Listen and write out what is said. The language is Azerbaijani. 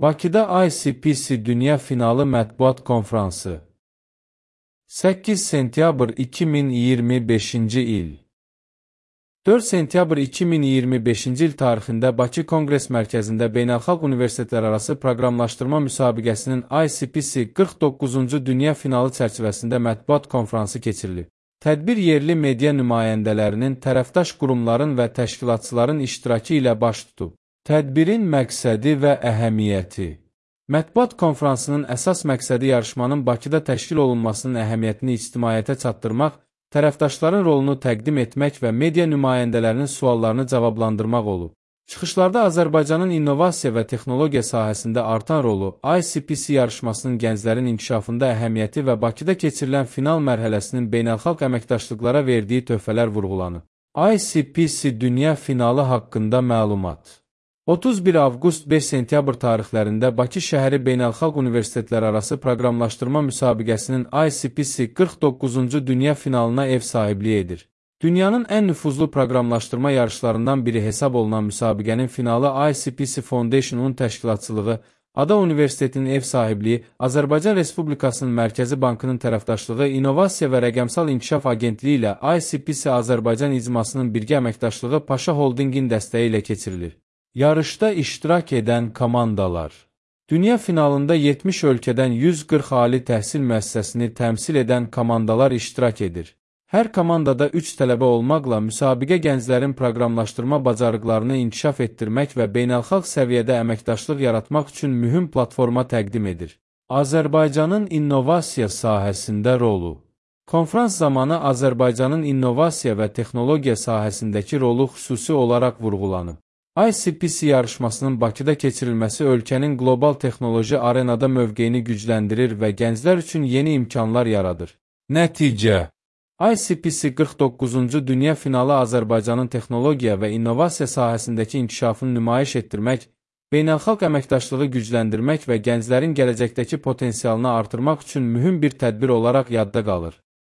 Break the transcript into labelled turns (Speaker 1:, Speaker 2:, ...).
Speaker 1: Bakıda ICPC Dünya Finalı Mətbuat Konfransı 8 sentyabr 2025-ci il 4 sentyabr 2025-ci il tarixində Bakı Konqres Mərkəzində Beynəlxalq Universitetlərarası Proqramlaşdırma Müsabiqəsinin ICPC 49-cu Dünya Finalı çərçivəsində mətbuat konfransı keçirilib. Tədbir yerli media nümayəndələrinin, tərəfdaş qurumların və təşkilatçıların iştirakı ilə baş tutub. Tədbirin məqsədi və əhəmiyyəti. Mətbuat konfransının əsas məqsədi yarışmanın Bakıda təşkil olunmasının əhəmiyyətini ictimaiyyətə çatdırmaq, tərəfdaşların rolunu təqdim etmək və media nümayəndələrinin suallarını cavablandırmaq olub. Çıxışlarda Azərbaycanın innovasiya və texnologiya sahəsində artan rolu, ICPC yarışmasının gənclərin inkişafında əhəmiyyəti və Bakıda keçirilən final mərhələsinin beynəlxalq əməkdaşlıqlara verdiyi töhfələr vurğulanıb. ICPC Dünya Finalı haqqında məlumat. 31 avqust 5 sentyabr tarixlərində Bakı şəhəri Beynəlxalq Universitetlərarası Proqramlaşdırma Müsabiqəsinin ICPC 49-cu Dünya Finalına ev sahibliyi edir. Dünyanın ən nüfuzlu proqramlaşdırma yarışlarından biri hesab olunan müsabiqənin finalı ICPC Foundation-un təşkilatçılığı, Ada Universitetinin ev sahibliyi, Azərbaycan Respublikasının Mərkəzi Bankının tərəfdaşlığı, İnnovasiya və Rəqəmsal İnkişaf Agentliyi ilə ICPC Azərbaycan icmasının birgə əməkdaşlığı Paşa Holdingin dəstəyi ilə keçirilir. Yarışda iştirak edən komandalar. Dünya finalında 70 ölkədən 140 ali təhsil müəssisəsini təmsil edən komandalar iştirak edir. Hər komandada 3 tələbə olmaqla müsabiqə gənclərin proqramlaşdırma bacarıqlarını inkişaf etdirmək və beynəlxalq səviyyədə əməkdaşlıq yaratmaq üçün mühüm platforma təqdim edir. Azərbaycanın innovasiya sahəsində rolu. Konfrans zamanı Azərbaycanın innovasiya və texnologiya sahəsindəki rolu xüsusi olaraq vurğulanıb. ICPC yarışmasının Bakıda keçirilməsi ölkənin qlobal texnoloji arenada mövqeyini gücləndirir və gənclər üçün yeni imkanlar yaradır. Nəticə. ICPC 49-cu Dünya Finalı Azərbaycanın texnologiya və innovasiya sahəsindəki inkişafını nümayiş etdirmək, beynəlxalq əməkdaşlığı gücləndirmək və gənclərin gələcəkdəki potensialını artırmaq üçün mühüm bir tədbir olaraq yadda qalır.